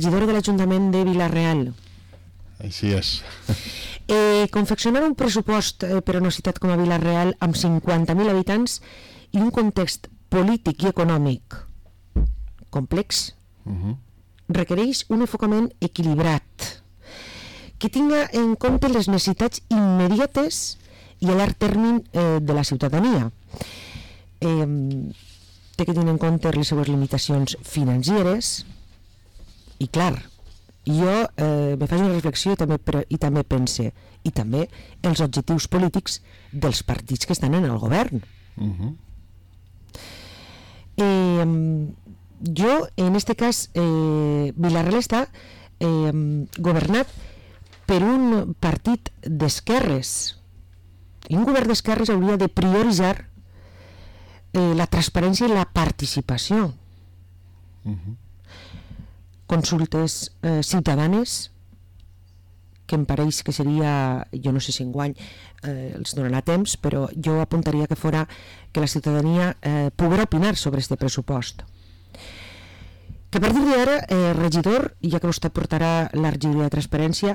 Regidor de l'Ajuntament de Vila-real. Així és. Confeccionar un pressupost per a una ciutat com a Vila-real amb 50.000 habitants i un context polític i econòmic complex requereix un enfocament equilibrat que tinga en compte les necessitats immediates i a llarg termini de la ciutadania. Té que tenir en compte les seues limitacions financeres i clar, jo me faig una reflexió i també pense, i també els objectius polítics dels partits que estan en el govern. Jo, en este cas, Vila-real està governat per un partit d'esquerres, i un govern d'esquerres hauria de prioritzar la transparència i la participació. Consultes ciutadanes, que em pareix que seria, jo no sé si enguany els donarà temps, però jo apuntaria que fora que la ciutadania poguera opinar sobre este pressupost. Que a partir d'ara, regidor, ja que vostè portarà la regidoria de transparència,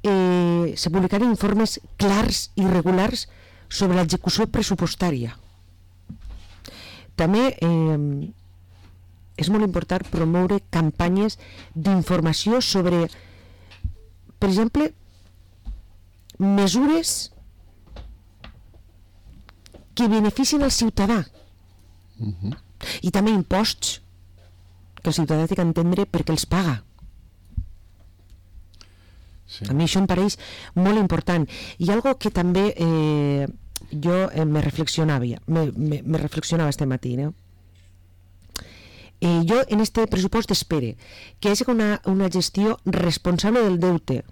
se publicaran informes clars i regulars sobre l'execució pressupostària. També és molt important promoure campanyes d'informació sobre, per exemple, mesures que beneficien al ciutadà i també imposts que el ciutadà té que entendre per què els paga. Sí. A mi això em pareix molt important. I algo que també jo me reflexionava este matí, no? Jo en este pressupost espere que hi hagi una gestió responsable del deute,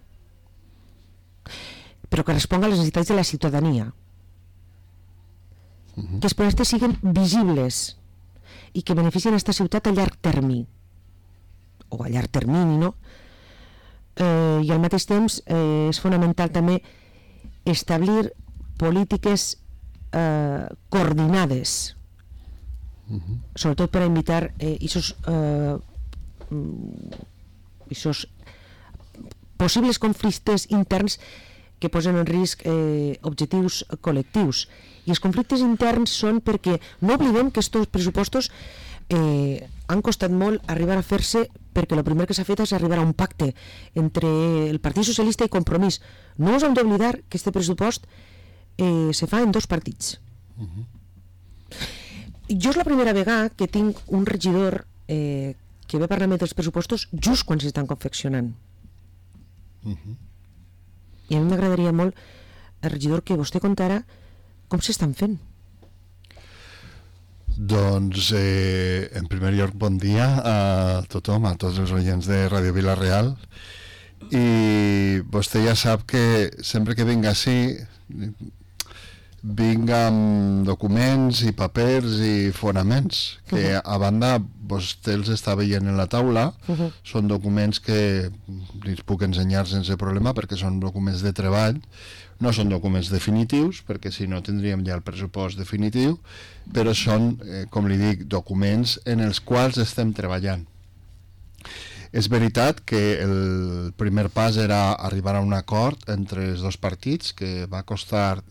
però que responga a les necessitats de la ciutadania, que els projectes siguin visibles i que beneficien aquesta ciutat a llarg termini o a llarg termini, no? I al mateix temps és fonamental també establir polítiques coordinades, sobretot per a evitar esos possibles conflictes interns que posen en risc objectius col·lectius. I els conflictes interns són perquè no oblidem que aquests pressupostos han costat molt arribar a fer-se, perquè el primer que s'ha fet és arribar a un pacte entre el Partit Socialista i Compromís. No us hem d'oblidar que aquest pressupost se fa en dos partits. Jo és la primera vegada que tinc un regidor que ve a parlar dels pressupostos just quan s'estan confeccionant. I a mi m'agradaria molt, el regidor, que vostè contara com s'estan fent. Doncs, en primer lloc, bon dia a tothom, a tots els oients de Ràdio Vila-real. I vostè ja sap que sempre que vinc així vinc amb documents i papers i fonaments que a banda vostè els està veient en la taula. Són documents que els puc ensenyar sense problema perquè són documents de treball, no són documents definitius perquè si no tindríem ja el pressupost definitiu, però són, com li dic, documents en els quals estem treballant. És veritat que el primer pas era arribar a un acord entre els dos partits que va costar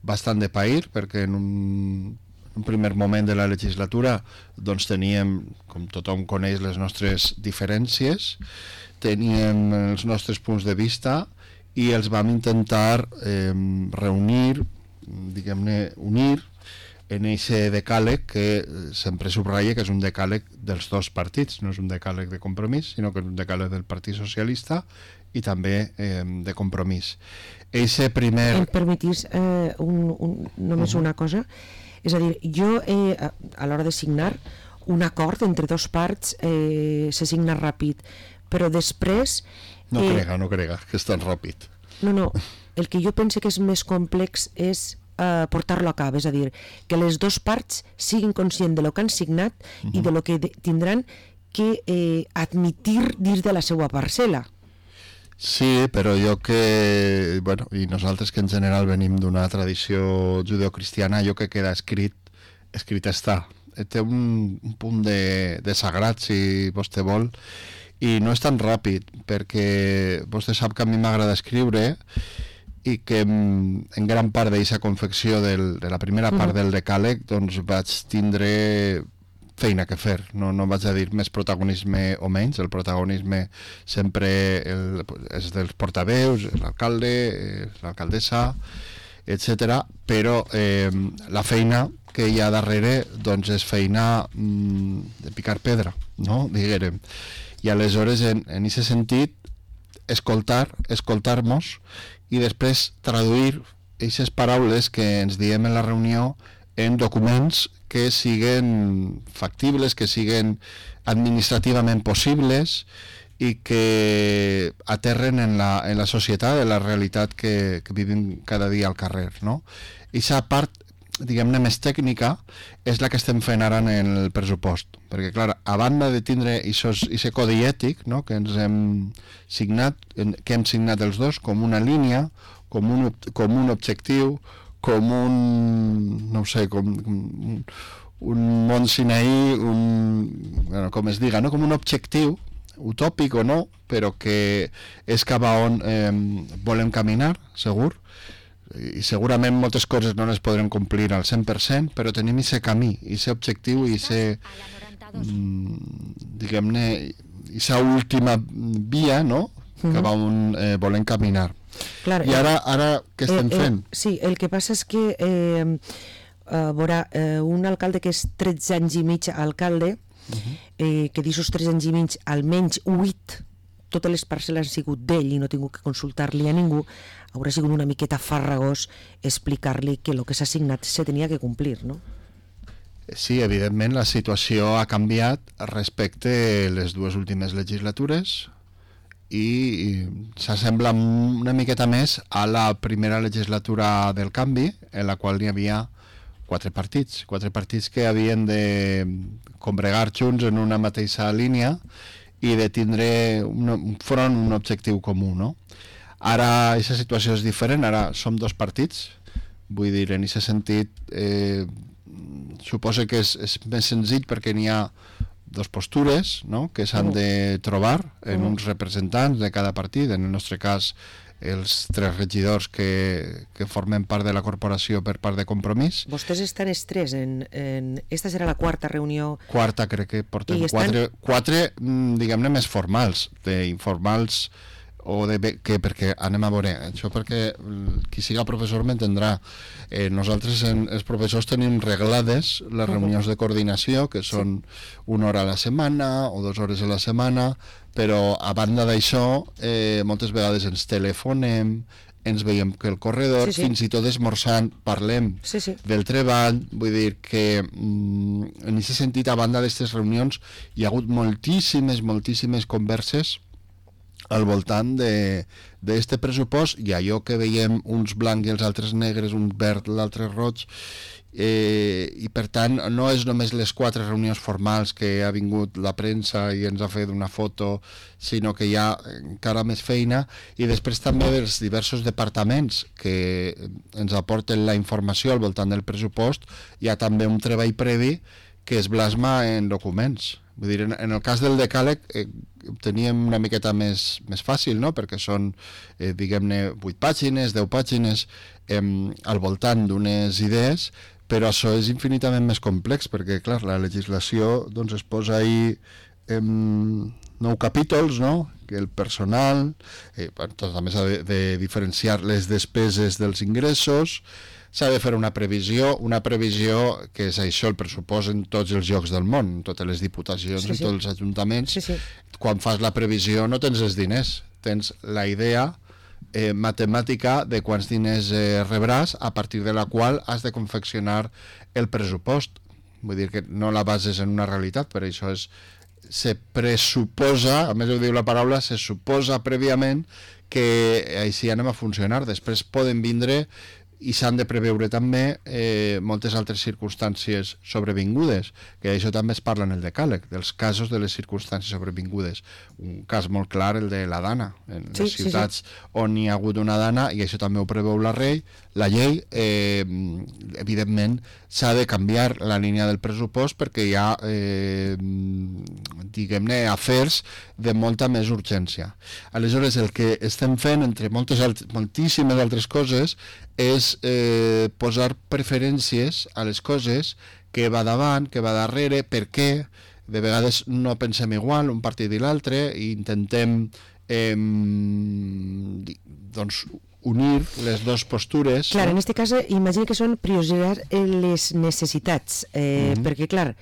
bastant de pair, perquè en un primer moment de la legislatura doncs teníem, com tothom coneix, les nostres diferències, teníem els nostres punts de vista i els vam intentar reunir, diguem-ne, unir en aquest decàleg que sempre subratlla que és un decàleg dels dos partits, no és un decàleg de Compromís, sinó que és un decàleg del Partit Socialista i també de Compromís. Eixe primer... Em permetís només una cosa? És a dir, jo a l'hora de signar un acord entre dos parts se signa ràpid, però després... No crega, que és tan ràpid. No, el que jo penso que és més complex és portar-lo a cap, és a dir, que les dues parts siguin conscients de lo que han signat i de lo que tindran que admitir dins de la seva parcel·la. Sí, però jo que... Bueno, i nosaltres que en general venim d'una tradició judeocristiana, jo que queda escrit està. Té un punt de sagrat, si vostè vol, i no és tan ràpid, perquè vostè sap que a mi m'agrada escriure i que en gran part d'aquesta confecció de la primera part del decàleg doncs vaig tindre feina que fer, no vaig a dir més protagonisme o menys, el protagonisme sempre és dels portaveus, l'alcalde, l'alcaldessa, etc. Però la feina que hi ha darrere doncs és feina de picar pedra, no? Diguérem. I aleshores en aquest sentit escoltar-nos i després traduir aquestes paraules que ens diem en la reunió en documents que siguen factibles, que siguen administrativament possibles i que aterren en la societat, en la realitat que vivim cada dia al carrer, no? I aquesta part, diguem-ne, més tècnica és la que estem fent ara en el pressupost, perquè clar, a banda de tindre aquest codi ètic, no?, que ens hem signat, que hem signat els dos com una línia, com un objectiu, com un, no sé, com un món Sinaí, bueno, com es diga, no?, com un objectiu utòpic o no, però que és cap a on volem caminar, segur, i segurament moltes coses no les podrem complir al 100%, però tenim aquest camí, aquest objectiu i diguem-ne, aquesta última via, no?, cap a on volem caminar. Clar, i ara què estem fent? Sí, el que passa és que veurà, un alcalde que és 13 anys i mig alcalde, que d'aquests 3 anys i mig almenys 8 totes les parcel·les han sigut d'ell i no he tingut que consultar-li a ningú, haurà sigut una miqueta farragós explicar-li que el que s'ha signat se tenia que complir, no? Sí, evidentment la situació ha canviat respecte a les dues últimes legislatures i s'assembla una miqueta més a la primera legislatura del canvi, en la qual hi havia 4 partits que havien de combregar junts en una mateixa línia i de tindre un front, un objectiu comú, no? Ara aquesta situació és diferent, ara som 2 partits, vull dir, en aquest sentit suposo que és més senzill perquè n'hi ha 2 postures, no?, que s'han de trobar en uns representants de cada partit, en el nostre cas els 3 regidors que formen part de la corporació per part de Compromís. Vostès estan els 3 esta serà la 4ª reunió. Quarta, crec que portem 4, diguem-ne, més formals, d'informals o perquè anem a veure, això perquè qui siga professor m'entendrà. Nosaltres els professors tenim reglades les reunions de coordinació, que són 1 hora a la setmana o 2 hores a la setmana, però a banda d'això moltes vegades ens telefonem, ens veiem que el corredor, fins i tot esmorzant parlem del treball, vull dir que en aquest sentit, a banda d'aquestes reunions hi ha hagut moltíssimes converses al voltant d'aquest pressupost, i allò que veiem uns blancs i els altres negres, un verd, l'altre roig, i per tant no és només les 4 reunions formals que ha vingut la premsa i ens ha fet una foto, sinó que hi ha encara més feina, i després també dels diversos departaments que ens aporten la informació al voltant del pressupost. Hi ha també un treball previ que es plasma en documents. Vull dir, en el cas del decàleg teníem una miqueta més fàcil, no?, perquè són, diguem-ne, 8 pàgines, 10 pàgines al voltant d'unes idees, però això és infinitament més complex, perquè, clar, la legislació doncs, es posa ahí 9 capítols, no?, que el personal, també s'ha de diferenciar les despeses dels ingressos, s'ha de fer una previsió que és això, el pressupost en tots els llocs del món, en totes les diputacions, en tots els ajuntaments. Quan fas la previsió no tens els diners, tens la idea matemàtica de quants diners rebràs, a partir de la qual has de confeccionar el pressupost. Vull dir que no la bases en una realitat, per això se pressuposa, a més ho diu la paraula, se suposa prèviament que així anem a funcionar. Després poden vindre i s'han de preveure també moltes altres circumstàncies sobrevingudes, que això també es parla en el decàleg, dels casos de les circumstàncies sobrevingudes. Un cas molt clar, el de la dana, en les ciutats on hi ha hagut una dana, i això també ho preveu la llei, evidentment s'ha de canviar la línia del pressupost perquè hi ha, diguem-ne, afers de molta més urgència. Aleshores, el que estem fent, entre moltíssimes altres coses, és posar preferències a les coses, que va davant, que va darrere, per què. De vegades no pensem igual un partit i l'altre, i intentem doncs unir les dues postures. Clar, en aquest cas imagino que són prioritzar les necessitats, perquè clar,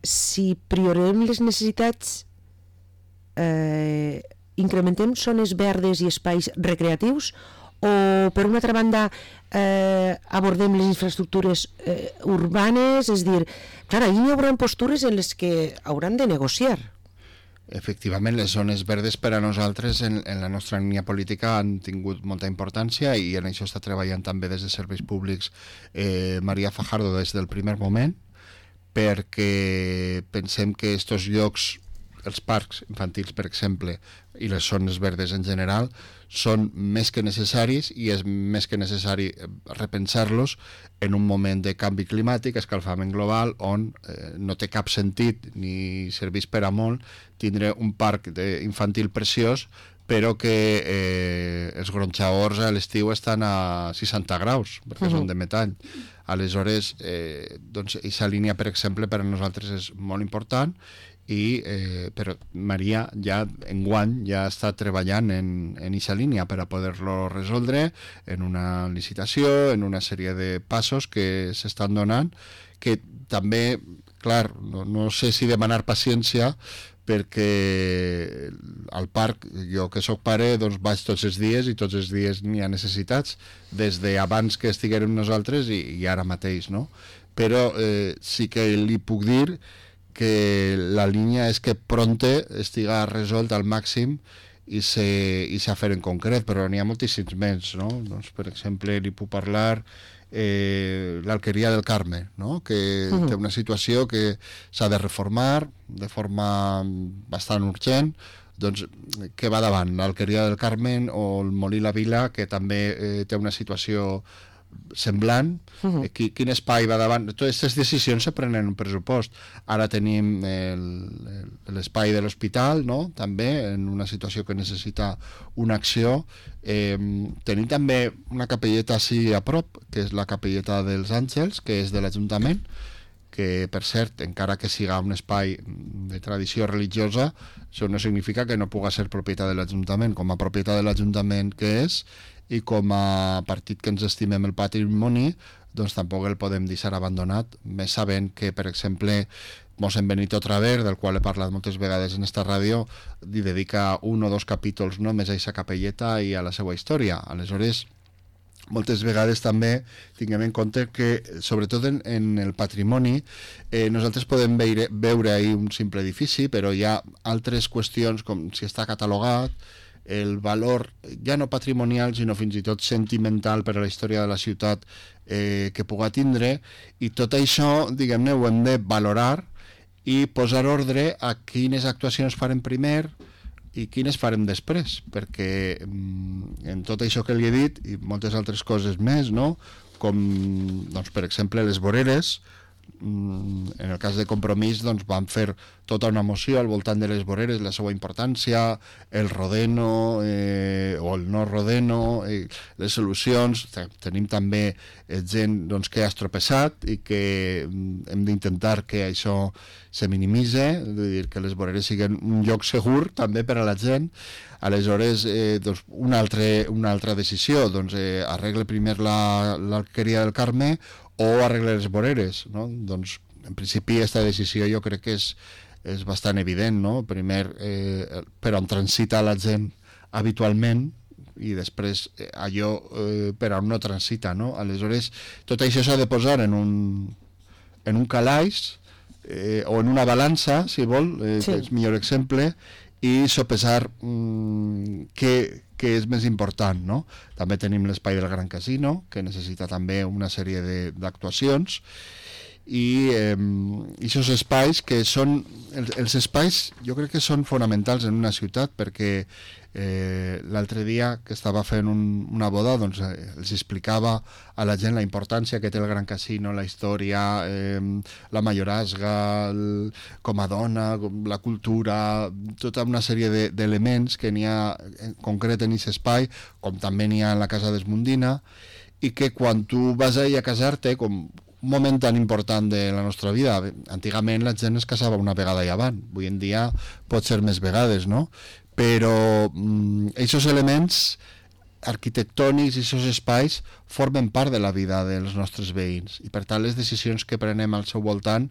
si prioritzem les necessitats, incrementem zones verdes i espais recreatius, o per una altra banda abordem les infraestructures urbanes, és dir, clar, ahir hi haurà postures en les que hauran de negociar. Efectivament, les zones verdes per a nosaltres en la nostra línia política han tingut molta importància, i en això està treballant també des de Serveis Públics Maria Fajardo des del primer moment, perquè pensem que aquests llocs, els parcs infantils, per exemple, i les zones verdes en general, són més que necessaris, i és més que necessari repensar-los en un moment de canvi climàtic, escalfament global, on no té cap sentit ni serveix per a molt tindre un parc infantil preciós, però que els gronxadors a l'estiu estan a 60 graus, perquè són de metall. Aleshores, doncs, aquesta línia, per exemple, per a nosaltres és molt important, però Maria ja enguany ja està treballant en aquesta línia per a poder-lo resoldre en una licitació, en una sèrie de passos que s'estan donant, que també, clar, no sé si demanar paciència, perquè al parc, jo que sóc pare, doncs vaig tots els dies, i tots els dies n'hi ha necessitats, des d'abans que estiguérem nosaltres i ara mateix, no? Però sí que li puc dir que la línia és que pronte estiga resolt al màxim i s'ha fer en concret, però n'hi ha moltíssims més, no? Doncs, per exemple, li puc parlar l'Alqueria del Carme, no? Que té una situació que s'ha de reformar de forma bastant urgent, doncs, que va davant l'Alqueria del Carme o el Molí La Vila, que també té una situació semblant. Quin espai va davant. Totes aquestes decisions se prenen en un pressupost. Ara tenim l'espai de l'hospital, no? També en una situació que necessita una acció. Tenim també una capelleta així a prop, que és la capelleta dels Àngels, que és de l'Ajuntament, que, per cert, encara que siga un espai de tradició religiosa, això no significa que no pugui ser propietat de l'Ajuntament. Com a propietat de l'Ajuntament que és, i com a partit que ens estimem el patrimoni, doncs tampoc el podem deixar abandonat, més sabent que, per exemple, mossèn Benito Traver, del qual he parlat moltes vegades en esta ràdio, li dedica 1 o 2 capítols només a aquesta capelleta i a la seva història. Aleshores, moltes vegades també tinguem en compte que, sobretot en el patrimoni, nosaltres podem veure ahir un simple edifici, però hi ha altres qüestions, com si està catalogat, el valor ja no patrimonial sinó fins i tot sentimental per a la història de la ciutat que pugui tindre, i tot això, diguem-ne, ho hem de valorar i posar ordre a quines actuacions farem primer i quines farem després, perquè en tot això que li he dit i moltes altres coses més, no? Com, doncs, per exemple, les voreres. En el cas de Compromís, doncs, vam fer tota una moció al voltant de les voreres, la seva importància, el rodeno o el no rodeno, les solucions. Tenim també gent, doncs, que ha estropeçat i que hem d'intentar que això se minimitze, és a dir, que les voreres siguin un lloc segur també per a la gent. Aleshores, doncs, una altra decisió, doncs, arregle primer l'Alqueria del Carme o arreglar les voreres, no? Doncs, en principi, aquesta decisió jo crec que és bastant evident, no? Primer, per on transita la gent habitualment, i després allò per on no transita, no? Aleshores, tot això s'ha de posar en un calaix o en una balança, si vol, que és millor exemple, i sopesar què que és més important, no? També tenim l'espai del Gran Casino, que necessita també una sèrie d'actuacions, i aquests espais que són els espais, jo crec que són fonamentals en una ciutat, perquè l'altre dia que estava fent una boda, doncs els explicava a la gent la importància que té el Gran Casino, la història, la mayorazga, com a dona, la cultura, tota una sèrie d'elements que n'hi ha en concret en aquest espai, com també n'hi ha en la Casa d'Esmundina, i que quan tu vas allà a casar-te, com un moment tan important de la nostra vida, antigament la gent es casava una vegada i avant, avui en dia pot ser més vegades, no? Però aquests elements arquitectònics i aquests espais formen part de la vida dels nostres veïns, i per tant les decisions que prenem al seu voltant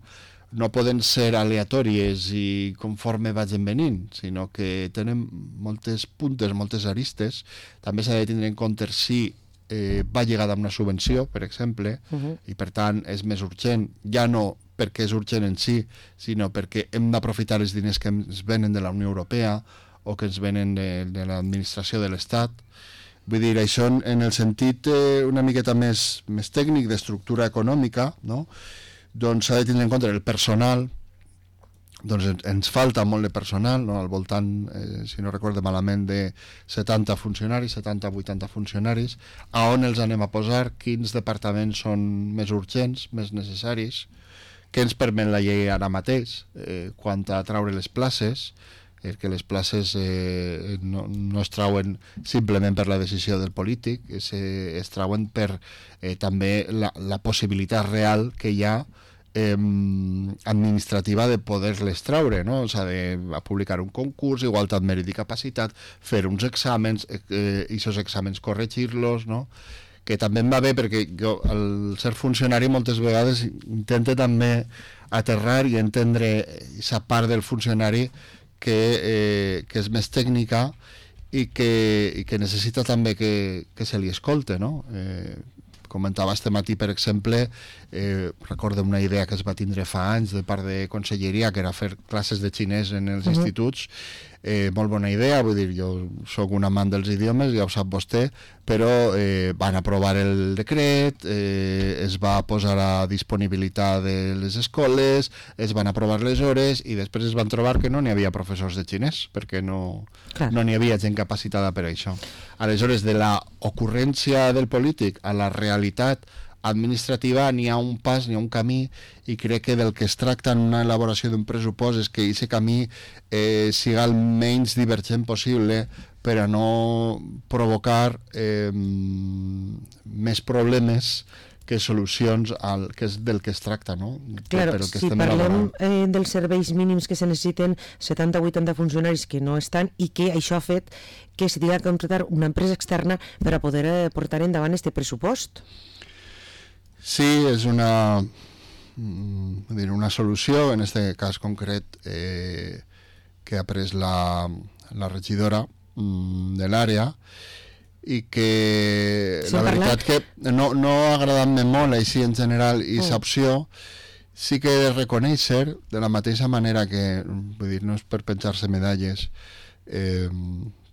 no poden ser aleatòries i conforme vagin venint, sinó que tenen moltes puntes, moltes aristes. També s'ha de tindre en compte si va lligada amb una subvenció, per exemple, i per tant és més urgent, ja no perquè és urgent en si, sinó perquè hem d'aprofitar els diners que ens venen de la Unió Europea o que ens venen de l'administració de l'Estat. Vull dir, això en el sentit una miqueta més tècnic d'estructura econòmica, no? Doncs s'ha de tindre en compte el personal. Doncs ens falta molt de personal, no? Al voltant, si no recordo malament, de 70 funcionaris, 70-80 funcionaris. A on els anem a posar? Quins departaments són més urgents, més necessaris? Què ens permet la llei ara mateix quant a treure les places? Que les places no es trauen simplement per la decisió del polític, es trauen per també la possibilitat real que hi ha administrativa de poder-les traure, no? O sigui, de publicar un concurs, igualtat, mèrit i capacitat, fer uns exàmens, i aquests exàmens corregir-los, no? Que també em va bé perquè jo, al ser funcionari, moltes vegades intento també aterrar i entendre aquesta part del funcionari que és més tècnica i que necessita també que se li escolte, no? Comentava este matí, per exemple, recordo una idea que es va tindre fa anys de part de conselleria, que era fer classes de xinès en els instituts. Molt bona idea, vull dir, jo sóc un amant dels idiomes, ja ho sap vostè, però van aprovar el decret, es va posar a disponibilitat de les escoles, es van aprovar les hores i després es van trobar que no n'hi havia professors de xinès, perquè no n'hi havia gent capacitada per a això. Aleshores, de la ocurrència del polític a la realitat administrativa n'hi ha un pas, n'hi ha un camí, i crec que del que es tracta en una elaboració d'un pressupost és que aquest camí siga el menys divergent possible per a no provocar més problemes que solucions que és del que es tracta, no? Claro, si parlem dels serveis mínims que se necessiten, 70-80 funcionaris que no estan, i que això ha fet que s'hi tingui que contractar una empresa externa per a poder portar endavant este pressupost. Sí, és una solució, en aquest cas concret, que ha pres la regidora de l'àrea, i que la veritat que no ha agradat-me molt així en general, i aquesta opció sí que he de reconèixer, de la mateixa manera que, vull dir, no és per penjar-se medalles,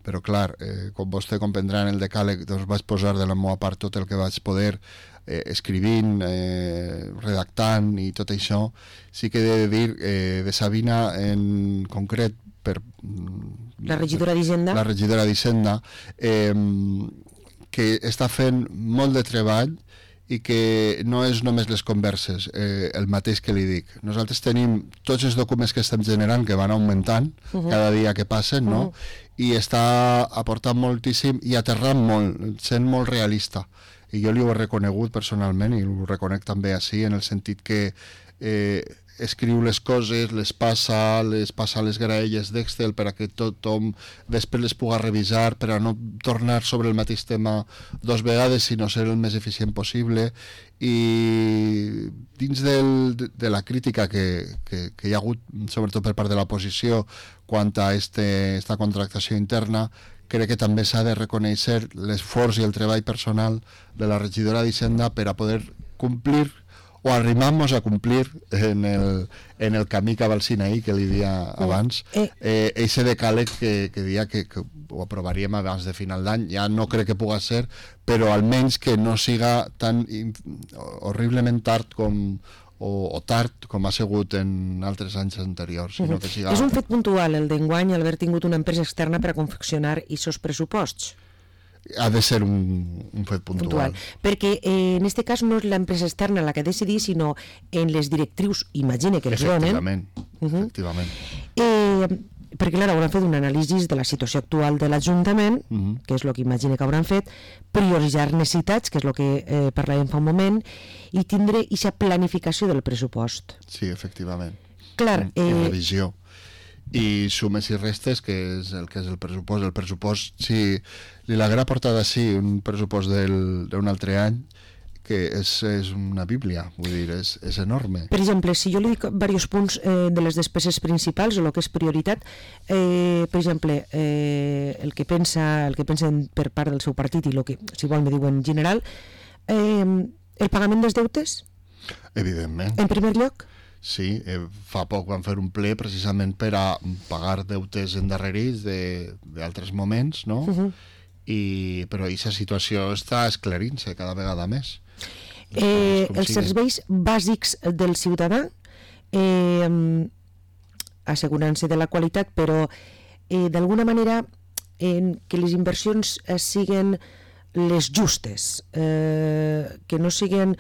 però clar, com vostè comprendrà, en el decàleg doncs vaig posar de la meva part tot el que vaig poder, escrivint, redactant i tot això. Sí que he de dir de Sabina en concret, per la regidora d'Hisenda, que està fent molt de treball i que no és només les converses, el mateix que li dic. Nosaltres tenim tots els documents que estem generant, que van augmentant cada dia que passen, no? I està aportant moltíssim i aterrant molt, sent molt realista. I jo li ho he reconegut personalment, i ho reconec també així, en el sentit que escriu les coses, les passa a les graelles d'Excel per a que tothom després les pugui revisar, per a no tornar sobre el mateix tema dues vegades, sinó ser el més eficient possible. I dins de la crítica que hi ha hagut, sobretot per part de l'oposició, quant a esta contractació interna, crec que també s'ha de reconèixer l'esforç i el treball personal de la regidora d'Hisenda per a poder complir o arrimar-nos a complir en el camí cap al Sinaí que li dia abans, eixe decàleg que dia que ho aprovaríem abans de final d'any. Ja no crec que pugui ser, però almenys que no siga tan horriblement tard o tard com ha sigut en altres anys anteriors, sinó que siga... És un fet puntual el d'enguany haver tingut una empresa externa per a confeccionar aquests pressuposts? Ha de ser un fet puntual. Perquè en aquest cas no és l'empresa externa la que ha de decidir, sinó en les directrius, imagine que els donen. Efectivament. Perquè clar, hauran fet un anàlisi de la situació actual de l'Ajuntament, que és el que imagine que hauran fet, prioritzar necessitats, que és el que parlàvem fa un moment, i tindre aquesta planificació del pressupost. Sí, efectivament. Clar, I revisió. I sumes i restes, que és el pressupost. El pressupost, si li l'haguera portat així un pressupost d'un altre any, que és una bíblia, vull dir, és enorme. Per exemple, si jo li dic diversos punts de les despeses principals o el que és prioritat, per exemple, el que pensen per part del seu partit i el que, si vol, me diu en general, el pagament dels deutes? Evidentment. En primer lloc? Sí, fa poc van fer un ple precisament per a pagar deutes endarrerits d'altres moments, no? Però aquesta situació està esclarint-se cada vegada més. Els serveis bàsics del ciutadà, assegurant-se de la qualitat, però d'alguna manera que les inversions siguin les justes, que no siguin...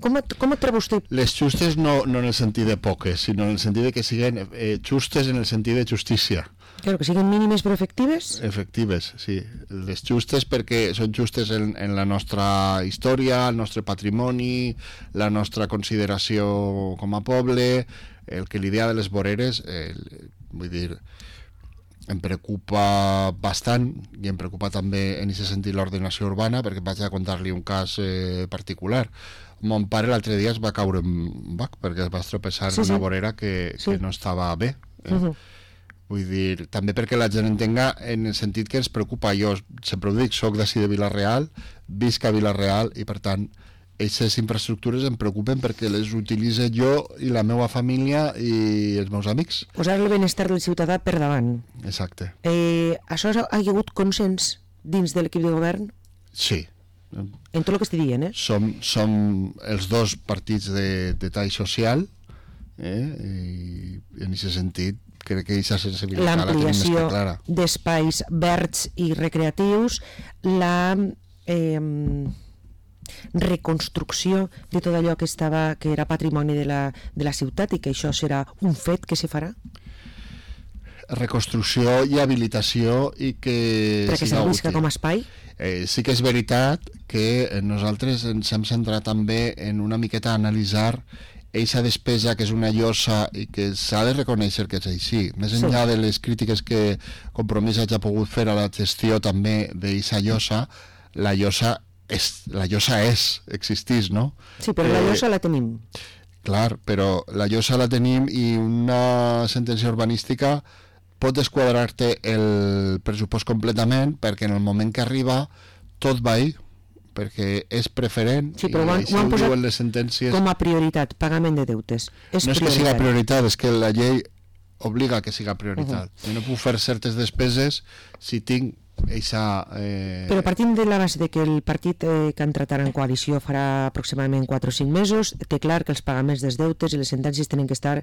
Com et troba vostè? Les justes no en el sentit de poques, sinó en el sentit de que siguin justes en el sentit de justícia. Claro, que siguin mínimes però efectives? Efectives, sí. Les justes perquè són justes en la nostra història, el nostre patrimoni, la nostra consideració com a poble, el que l'idea de les voreres, vull dir, em preocupa bastant i em preocupa també en aquest sentit l'ordenació urbana, perquè vaig a contar-li un cas particular. Mon pare l'altre dia es va caure en bac perquè es va estropeçar en una vorera que no estava bé. Vull dir, també perquè la gent entenga en el sentit que ens preocupa. Jo sempre ho dic, soc d'ací de Vila-real, visc a Vila-real i per tant aquestes infraestructures em preocupen perquè les utilitzo jo i la meva família i els meus amics. Posar el benestar del ciutadà per davant. Exacte. Això ha hagut consens dins de l'equip de govern? Sí. En tot el que estic dient, Som els dos partits de tall social i en aquest sentit crec que aquesta sensibilitat la tenim més que clara. L'ampliació d'espais verds i recreatius, la reconstrucció de tot allò que era patrimoni de la ciutat i que això serà un fet que se farà? Reconstrucció i habilitació i que perquè servisca com a espai? Sí que és veritat que nosaltres ens hem centrat també en una miqueta analitzar eixa despesa que és una llosa i que s'ha de reconèixer que és així. Més enllà de les crítiques que Compromís hagi pogut fer a la gestió també d'eixa llosa, la llosa existís, no? Sí, però la llosa la tenim. Clar, però la llosa la tenim i una sentència urbanística pot desquadrar-te el pressupost completament perquè en el moment que arriba tot va ahir, perquè és preferent i així ho diuen les sentències. Com a prioritat, pagament de deutes. No és que siga prioritat, és que la llei obliga que siga prioritat. Jo no puc fer certes despeses si tinc eixa... Però partint de la base de que el partit que ha entrat ara en coalició farà aproximadament 4 o 5 mesos, té clar que els pagaments dels deutes i les sentències tenen que estar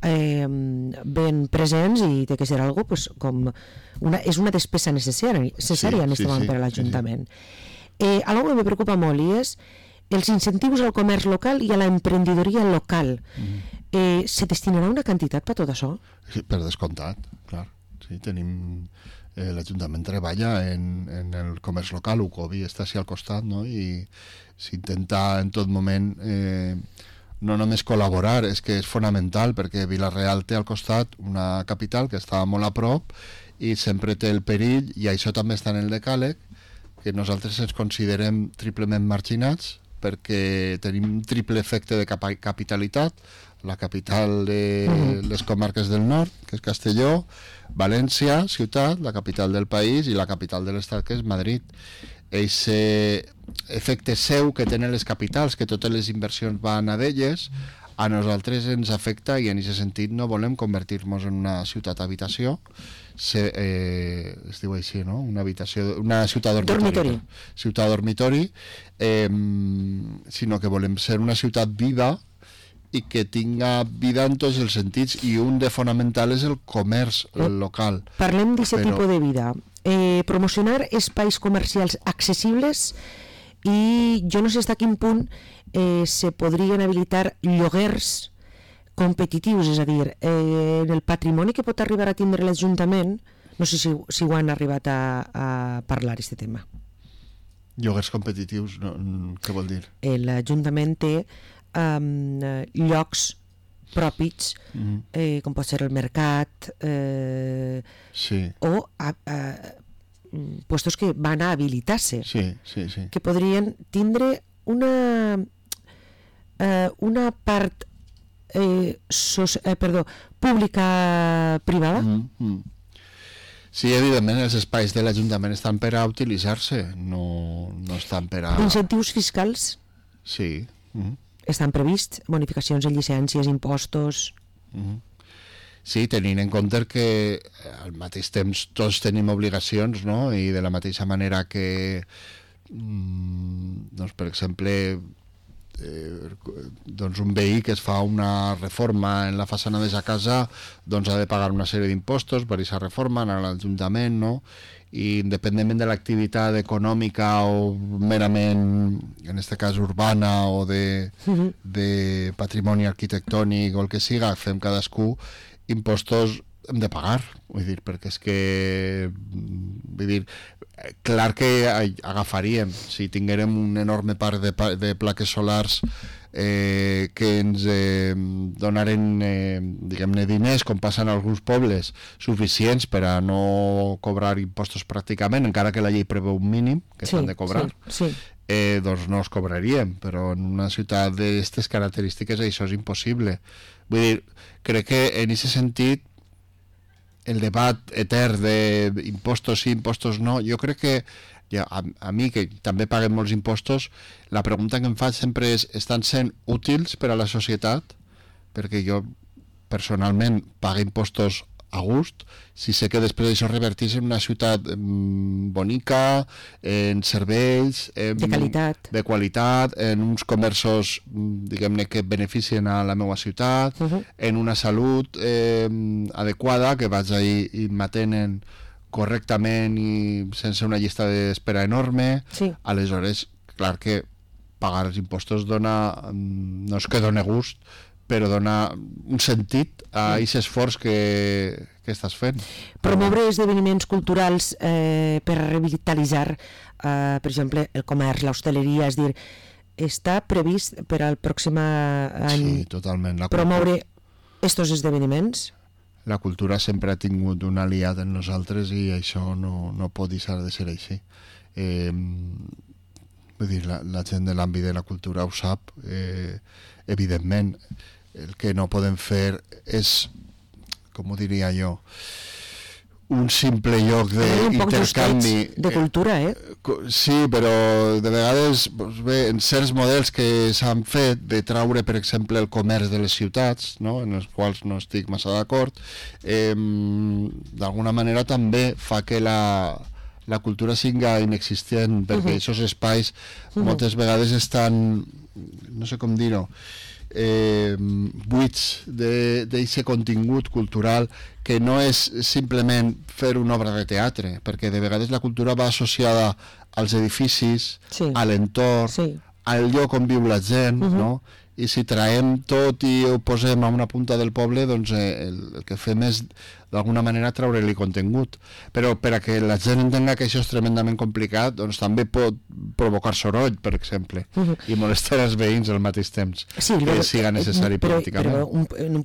ben presents i té que ser algo pues, com és una despesa necessària en aquest moment per a l'Ajuntament. Algo que me preocupa molt i és els incentius al comerç local i a l'emprenedoria local. Se destinarà una quantitat per tot això? Sí, per descomptat, clar. Sí, tenim... l'Ajuntament treballa en el comerç local, Ucovi està així al costat, no? I s'intenta en tot moment no només col·laborar, és que és fonamental perquè Vila-real té al costat una capital que està molt a prop i sempre té el perill, i això també està en el decàleg, que nosaltres ens considerem triplement marginats perquè tenim un triple efecte de capitalitat, la capital de les comarques del nord, que és Castelló, València, ciutat, la capital del país, i la capital de l'estat, que és Madrid. Aquest efecte seu que tenen les capitals, que totes les inversions van a d'elles, a nosaltres ens afecta i en aquest sentit no volem convertir-nos en una ciutat habitació, es diu així, no? Una ciutat dormitori. Ciutat dormitori, sinó que volem ser una ciutat viva i que tinga vida en tots els sentits, i un de fonamental és el comerç local. Parlem d'aquest tipus de vida. Promocionar espais comercials accessibles, i jo no sé fins a quin punt se podrien habilitar lloguers competitius, és a dir, en el patrimoni que pot arribar a tindre l'Ajuntament, no sé si ho han arribat a parlar, aquest tema. Lloguers competitius, què vol dir? L'Ajuntament té llocs propis, com pot ser el mercat, o puestos que van a habilitar-se, que podrien tindre una part pública-privada. Sí, evidentment els espais de l'Ajuntament estan per a utilitzar-se, no estan per a... Incentius fiscals? Sí. Estan prevists? Bonificacions en llicències, impostos? Sí, tenint en compte que al mateix temps tots tenim obligacions, no? I de la mateixa manera que, doncs, per exemple, doncs un veí que es fa una reforma en la façana de sa casa, doncs ha de pagar una sèrie d'impostos per aquesta reforma, anar a l'Ajuntament, no? I independentment de l'activitat econòmica o merament, en aquest cas urbana, o de patrimoni arquitectònic o el que siga, fem cadascú, impostos hem de pagar, vull dir, perquè és que, vull dir, clar que agafaríem, si tinguérem un enorme parc de plaques solars que ens donaren, diguem-ne, diners, com passa en alguns pobles, suficients per a no cobrar impostos pràcticament, encara que la llei preveu un mínim que s'han de cobrar, doncs no els cobraríem, però en una ciutat d'aquestes característiques això és impossible. Vull dir, crec que en aquest sentit el debat etern d'impostos sí, impostos no, jo crec que a mi, que també paguem molts impostos, la pregunta que em faig sempre és: estan sent útils per a la societat? Perquè jo personalment pago impostos a gust, si sé que després això reverteix en una ciutat bonica, en serveis de qualitat, en uns comerços, diguem-ne, que beneficien a la meva ciutat, en una salut adequada, que vaig ahí i m'atenen correctament i sense una llista d'espera enorme. Aleshores, clar que pagar els impostos dona, no és que dona gust, però dona un sentit a aquest esforç que estàs fent. Promoure esdeveniments culturals per revitalitzar, per exemple, el comerç, l'hostaleria, és dir, està previst per al pròxim any promoure estos esdeveniments? La cultura sempre ha tingut un aliat en nosaltres i això no pot deixar de ser així. Vull dir, la gent de l'àmbit de la cultura ho sap, evidentment. El que no podem fer és, com ho diria jo, un simple lloc d'intercanvi de cultura, Sí, però de vegades, doncs bé, en certs models que s'han fet de traure, per exemple, el comerç de les ciutats, no? En els quals no estic massa d'acord, d'alguna manera també fa que la cultura siga inexistent, perquè aquests espais moltes vegades estan, no sé com dir-ho, buits d'aquest contingut cultural, que no és simplement fer una obra de teatre, perquè de vegades la cultura va associada als edificis, a l'entorn, al lloc on viu la gent, no? I si traiem tot i ho posem a una punta del poble, doncs el que fem és d'alguna manera treure-li contingut. Però per a que la gent entenga que això és tremendament complicat, doncs també pot provocar soroll, per exemple, i molestar els veïns al mateix temps, que siga necessari políticament.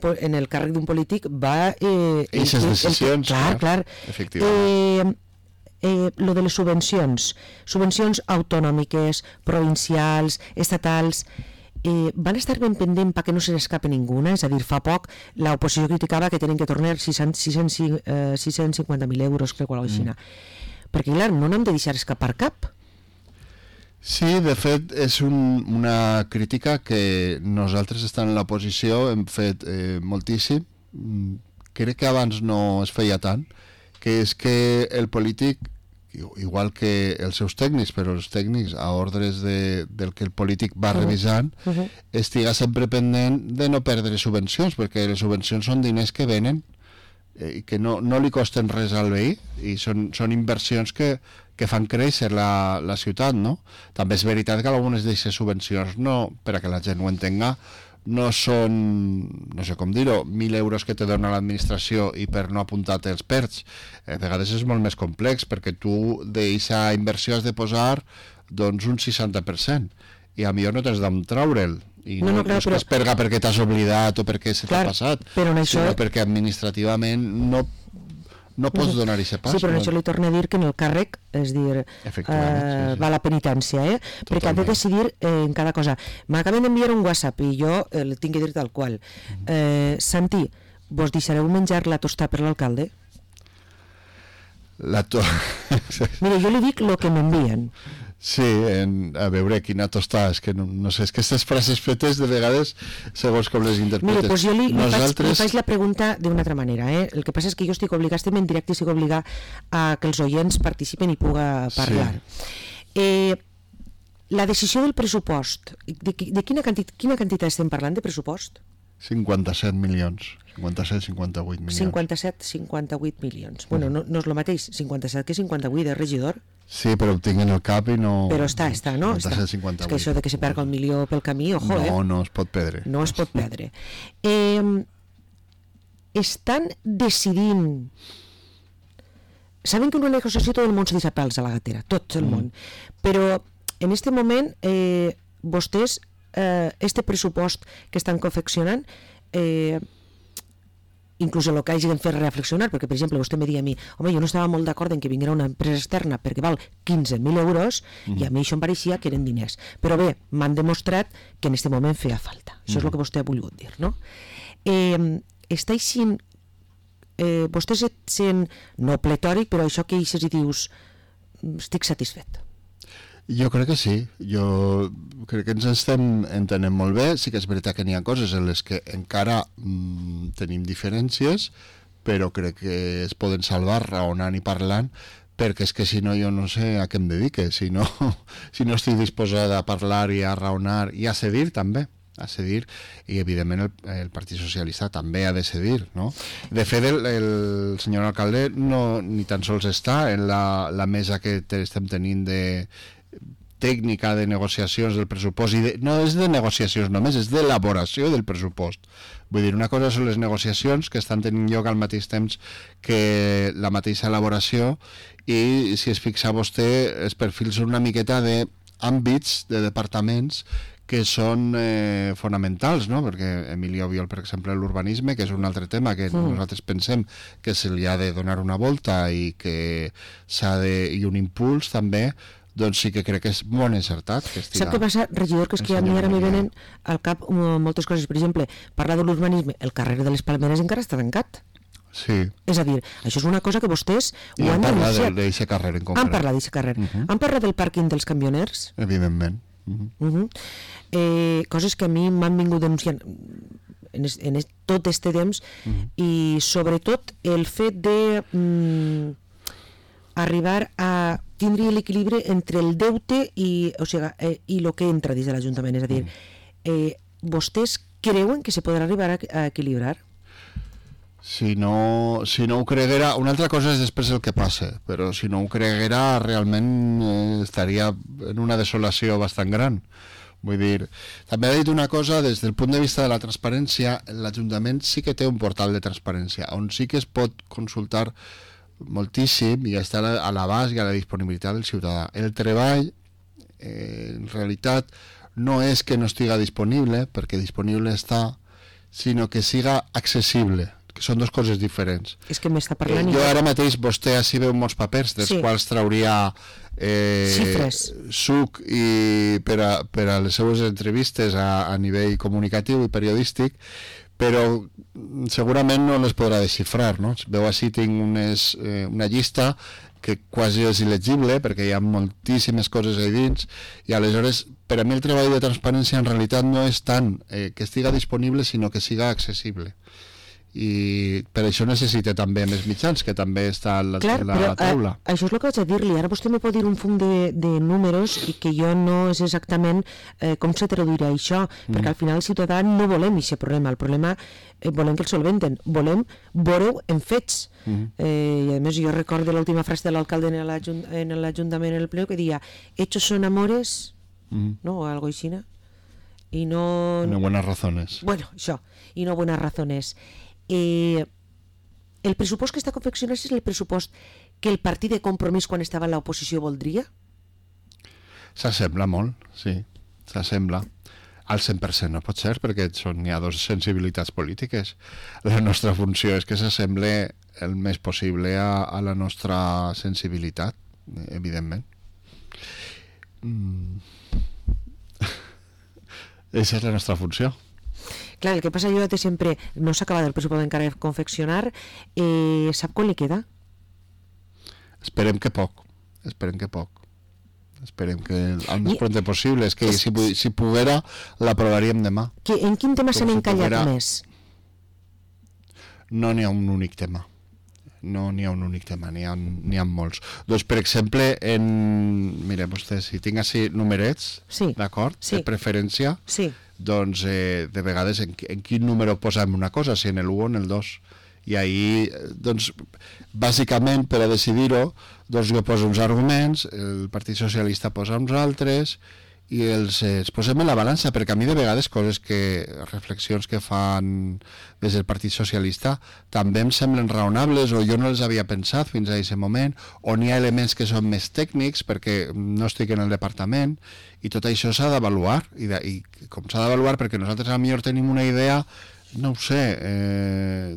Però en el càrrec d'un polític va... Aquestes decisions, clar. Efectivament. Lo de les subvencions autonòmiques, provincials, estatals... van estar ben pendent perquè no se n'escape ninguna, és a dir, fa poc l'oposició criticava que tenen que tornar 650.000 euros, crec, o alguna cosa així, perquè clar, no n'hem de deixar escapar cap. Sí, de fet és una crítica que nosaltres estant en l'oposició hem fet moltíssim. Crec que abans no es feia tant, que és que el polític, igual que els seus tècnics, però els tècnics a ordres del que el polític va revisant, estiga sempre pendent de no perdre subvencions, perquè les subvencions són diners que venen i que no li costen res al veí, i són inversions que fan créixer la ciutat, no? També és veritat que algunes d'aquestes subvencions, no, per a que la gent ho entenga, no són, no sé com dir-ho, 1.000 euros que te dona l'administració i per no apuntar-te els perds. A vegades és molt més complex, perquè tu d'aquesta inversió has de posar doncs un 60%, i a millor no tens d'on traure'l, i no és que es perga perquè t'has oblidat o perquè se t'ha passat, sinó perquè administrativament no pots donar aquest pas. Sí, però això li torno a dir que en el càrrec, és dir, va la penitència, perquè ha de decidir en cada cosa. M'acaben d'enviar un WhatsApp i jo el tinc que dir tal qual. Santi, vos deixareu menjar la tosta per l'alcalde? Mira, jo li dic el que m'envien. Sí, a veure quina tostada, és que no sé, és que aquestes frases fetes de vegades segons com les interpretes. Mira, doncs jo li faig la pregunta d'una altra manera, El que passa és que jo estic obligat, estem en directe i estic obligat a que els oients participen i puga parlar. Sí. La decisió del pressupost, de quina quantitat estem parlant de pressupost? 57 milions. 57-58 milions. 57-58 milions. Bueno, no és el mateix 57 que 58 de regidor. Sí, però ho tinc en el cap i no... Però està, no? 57-58. És que això de que se perga el milió pel camí, ojo, No es pot perdre. No es pot perdre. Estan decidint... Saben que en una negociació tot el món se deixa pèls a la gatera, tot el món. Però en este moment vostès, este pressupost que estan confeccionant, inclús el que hagin fet reflexionar, perquè per exemple vostè me deia a mi, home, jo no estava molt d'acord en que vinguera una empresa externa perquè val 15.000 euros i a mi això em pareixia que eren diners, però bé, m'han demostrat que en aquest moment feia falta, això és el que vostè ha volgut dir, no? Està així, vostè sent no pletòric, però això que eixes i dius estic satisfet. Jo crec que sí, jo crec que ens estem entenent molt bé. Sí que és veritat que n'hi ha coses en les que encara tenim diferències, però crec que es poden salvar raonant i parlant, perquè és que si no jo no sé a què em dedique, si no estic disposada a parlar i a raonar i a cedir també, i evidentment el Partit Socialista també ha de cedir, no? De fet el senyor alcalde ni tan sols està en la mesa que estem tenint de tècnica de negociacions del pressupost, no és de negociacions només, és d'elaboració del pressupost. Vull dir, una cosa són les negociacions que estan tenint lloc al mateix temps que la mateixa elaboració, i si es fixa vostè, els perfils són una miqueta d'àmbits, de departaments que són fonamentals, no? Perquè Emilio Biol, per exemple, l'urbanisme, que és un altre tema que nosaltres pensem que se li ha de donar una volta i que i un impuls també, doncs sí que crec que és molt encertat. Sap què passa, regidor, que és que a mi ara me venen al cap moltes coses. Per exemple, parlar de l'urbanisme, el carrer de les Palmeres encara està tancat. Sí. És a dir, això és una cosa que vostès ho han denunciat. Han parlat d'aquest carrer en concret. Han parlat d'aquest carrer. Han parlat del pàrquing dels camioners. Evidentment. Coses que a mi m'han vingut denunciant en tot este temps, i sobretot el fet de arribar a tindre l'equilibri entre el deute i el que entra dins de l'Ajuntament. És a dir, vostès creuen que se podrà arribar a equilibrar? Si no ho creguera, una altra cosa és després el que passa, però si no ho creguera realment estaria en una desolació bastant gran. Vull dir, també ha dit una cosa, des del punt de vista de la transparència, l'Ajuntament sí que té un portal de transparència on sí que es pot consultar moltíssim i està a l'abast i a la disponibilitat del ciutadà. El treball en realitat no és que no estiga disponible, perquè disponible està, sinó que siga accessible, que són dues coses diferents. És que m'està parlant... Jo ara mateix, vostè així veu molts papers dels quals trauria suc per a les seues entrevistes a nivell comunicatiu i periodístic, però segurament no les podrà desxifrar, no? Veu així, tinc una llista que quasi és il·legible perquè hi ha moltíssimes coses ahí dins, i aleshores per a mi el treball de transparència en realitat no és tant que estiga disponible, sinó que siga accessible. i per això necessita també més mitjans, que també està a la taula. Això és el que vaig a dir-li. Ara vostè me pot dir un fum de números i que jo no és exactament com se traduirà això, perquè al final el ciutadà no volem aquest problema. El problema volem que el solventen, volem veure-ho en fets. I a més jo recordo l'última frase de l'alcalde en l'Ajuntament en el ple que deia hechos son amores, no? O algo així, i no... No buenas razones. Bueno, això, i no buenas razones. El pressupost que està confeccionat és el pressupost que el partit de Compromís quan estava en l'oposició voldria? S'assembla molt, sí, s'assembla. Al 100% no pot ser, perquè hi ha dues sensibilitats polítiques. La nostra funció és que s'assemble el més possible a la nostra sensibilitat, evidentment. Aquesta és la nostra funció. Clar, el que passa jo sempre no s'ha acabat el pressupost encara de confeccionar, sap quan li queda? Esperem que poc. Esperem que el més pront possible. És que si poguera l'aprovaríem demà. En quin tema s'han encallat més? No n'hi ha un únic tema. N'hi ha molts. Doncs, per exemple, mira, vostè, si tinc així numerets, d'acord, de preferència, doncs, de vegades, en quin número posem una cosa, si en el 1 o en el 2. I ahí, doncs, bàsicament, per a decidir-ho, doncs jo poso uns arguments, el Partit Socialista posa uns altres, i els posem en la balança, perquè a mi de vegades reflexions que fan des del Partit Socialista també em semblen raonables o jo no les havia pensat fins a aquest moment, o n'hi ha elements que són més tècnics perquè no estic en el departament, i tot això s'ha d'avaluar, i com s'ha d'avaluar perquè nosaltres potser tenim una idea, no ho sé,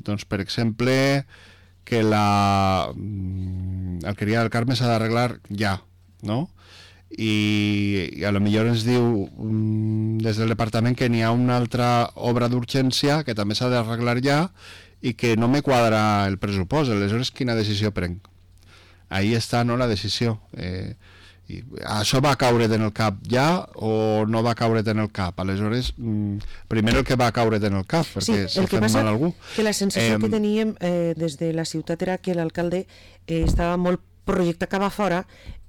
doncs per exemple que l'alqueria del Carme s'ha d'arreglar ja, no? I a lo millor ens diu des del departament que n'hi ha una altra obra d'urgència que també s'ha d'arreglar ja i que no me quadra el pressupost. Aleshores, quina decisió prenc? Ahí està, no?, la decisió. I això va caure en el cap ja o no va caure en el cap? Aleshores, primer el que va caure en el cap, perquè s'ha fet mal a algú. Que la sensació que teníem des de la ciutat era que l'alcalde estava molt projecte acaba fora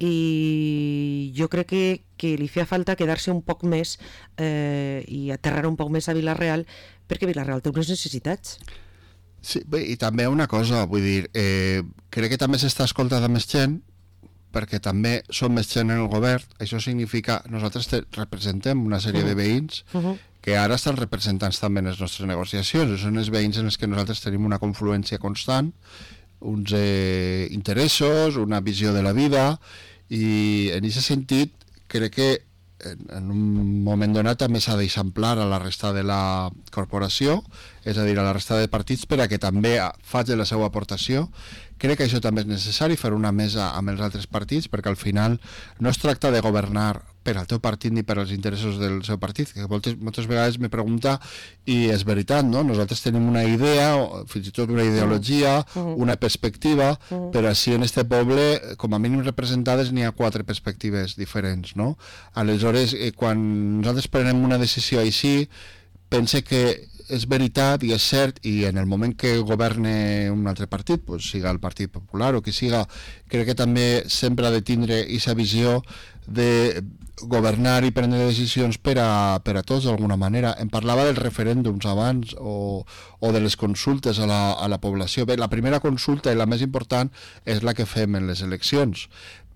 i jo crec que li feia falta quedar-se un poc més i aterrar un poc més a Vila-real, perquè Vila-real té unes necessitats. Sí, bé, i també una cosa, vull dir, crec que també s'està escoltant més gent, perquè també som més gent en el govern. Això significa, nosaltres representem una sèrie de veïns que ara estan representats també en les nostres negociacions, són els veïns en els que nosaltres tenim una confluència constant, uns interessos, una visió de la vida, i en aquest sentit crec que en un moment donat també s'ha d'eixamplar a la resta de la corporació, és a dir, a la resta de partits, per a que també faci la seva aportació. Crec que això també és necessari, fer una mesa amb els altres partits, perquè al final no es tracta de governar per al teu partit ni per als interessos del seu partit, que moltes vegades me pregunta, i és veritat, no? Nosaltres tenim una idea, fins i tot una ideologia, una perspectiva, però així en este poble, com a mínim representades, n'hi ha 4 perspectives diferents, no? Aleshores, quan nosaltres prenem una decisió així, pense que és veritat i és cert, i en el moment que governe un altre partit, pues, siga el Partit Popular o qui siga, crec que també sempre ha de tindre aquesta visió de governar i prendre decisions per a tots d'alguna manera. Em parlava dels referèndums abans o de les consultes a la població. Bé, la primera consulta i la més important és la que fem en les eleccions,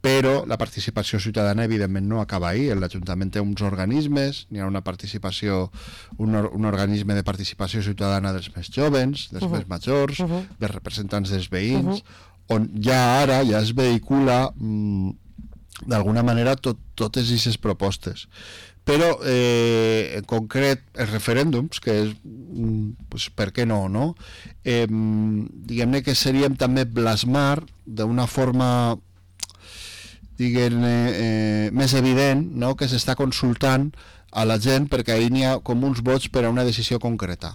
però la participació ciutadana evidentment no acaba ahí. L'Ajuntament té uns organismes, n'hi ha una participació, un organisme de participació ciutadana dels més jovens, dels més majors, dels representants dels veïns, on ja ara ja es vehicula d'alguna manera totes aquestes propostes. Però en concret els referèndums, que és pues, per què no, no? Diguem-ne que seríem també plasmar d'una forma més evident, no?, que s'està consultant a la gent, perquè ahir n'hi ha com uns vots per a una decisió concreta,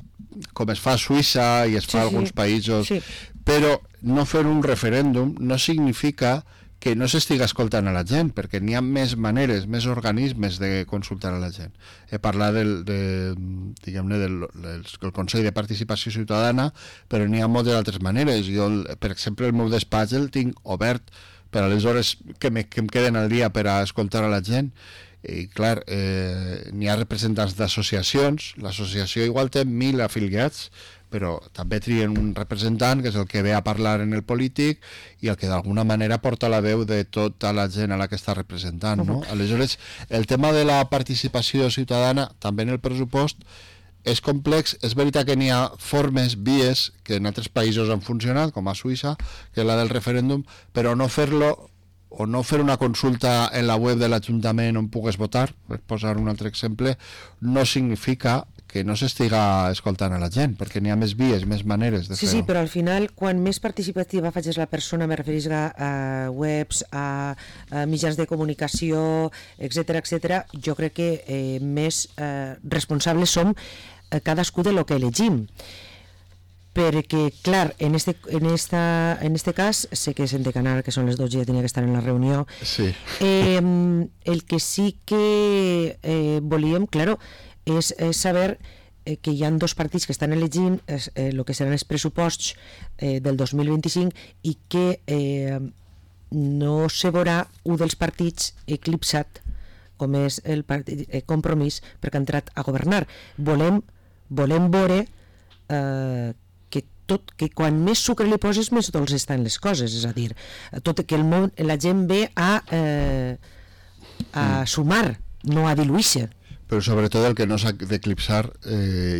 com es fa a Suïssa i es fa a alguns països, però no fer un referèndum no significa que no s'estiga escoltant a la gent, perquè n'hi ha més maneres, més organismes de consultar a la gent. He parlat diguem-ne, del Consell de Participació Ciutadana, però n'hi ha moltes altres maneres. Jo, per exemple, el meu despatx el tinc obert per a les hores que em queden al dia per a escoltar a la gent. I clar, n'hi ha representants d'associacions, l'associació igual té 1.000 afiliats, però també trien un representant que és el que ve a parlar en el polític i el que d'alguna manera porta la veu de tota la gent a la que està representant, no? Aleshores, el tema de la participació ciutadana, també en el pressupost, és complex. És veritat que n'hi ha formes, vies, que en altres països han funcionat, com a Suïssa, que és la del referèndum, però no fer-lo o no fer una consulta en la web de l'Ajuntament on pugues votar, per posar un altre exemple, no significa que no s'estiga escoltant a la gent, perquè n'hi ha més vies, més maneres de fer-ho. Sí, però al final, quan més participativa facis la persona, me referís a webs, a mitjans de comunicació, etc, jo crec que més responsables som cadascú de lo que elegim. Perquè, clar, en este cas sé que és en Decanar, que són les 12 i ja tenia que estar en la reunió. Sí. El que sí que volíem, claro, és saber que hi ha dos partits que estan elegint el que seran els pressuposts del 2025 i que no se veurà un dels partits eclipsat, com és el partit Compromís, perquè ha entrat a governar. Volem veure que quan més sucre li poses més dolç estan les coses, és a dir, tot que la gent ve a sumar, no a diluir-se. Però sobretot el que no s'ha d'eclipsar,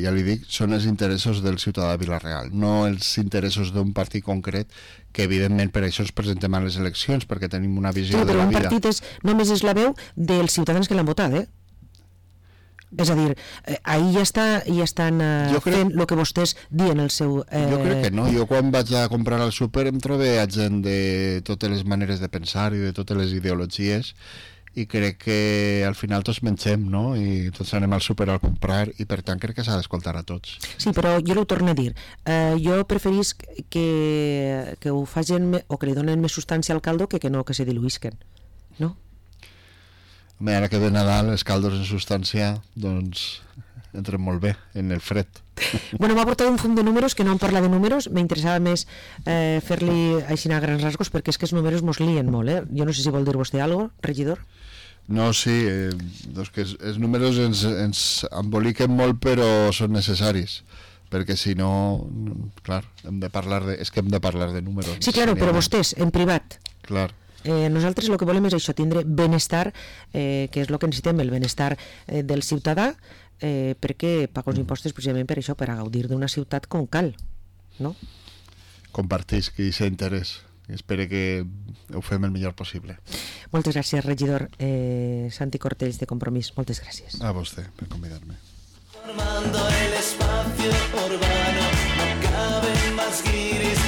ja li dic, són els interessos del ciutadà de Vila-real, no els interessos d'un partit concret, que evidentment per això ens presentem a les eleccions, perquè tenim una visió de la vida. Però un partit només és la veu dels ciutadans que l'han votat, És a dir, ahir ja estan fent el que vostès diuen el seu... Jo crec que no. Jo quan vaig a comprar al súper em trobé a gent de totes les maneres de pensar i de totes les ideologies, i crec que al final tots mengem, no? I tots anem al súper a comprar, i per tant crec que s'ha d'escoltar a tots. Sí, però jo ho torno a dir. Jo preferís que ho facin o que li donen més substància al caldo que no que se diluïsquen, no? Ara que ve Nadal, els caldos en substància, doncs, entren molt bé en el fred. Bueno, m'ha portat un fum de números, que no em parla de números, m'interessava més fer-li així a grans rasgos, perquè és que els números mos lien molt, Jo no sé si vol dir vostè alguna cosa, regidor? No, sí, doncs que els números ens emboliquen molt, però són necessaris, perquè si no, clar, hem de parlar de números. Sí, clar, però vostès, en privat. Clar. Nosaltres el que volem és això, tindre benestar, que és el que necessitem, el benestar del ciutadà, perquè paga els impostos precisament per això, per a gaudir d'una ciutat com cal, no? Compartís que hi ha interès. Espero que ho fem el millor possible. Moltes gràcies, regidor Santi Cortells, de Compromís. Moltes gràcies. A vostè per convidar-me. Formando el espacio urbano.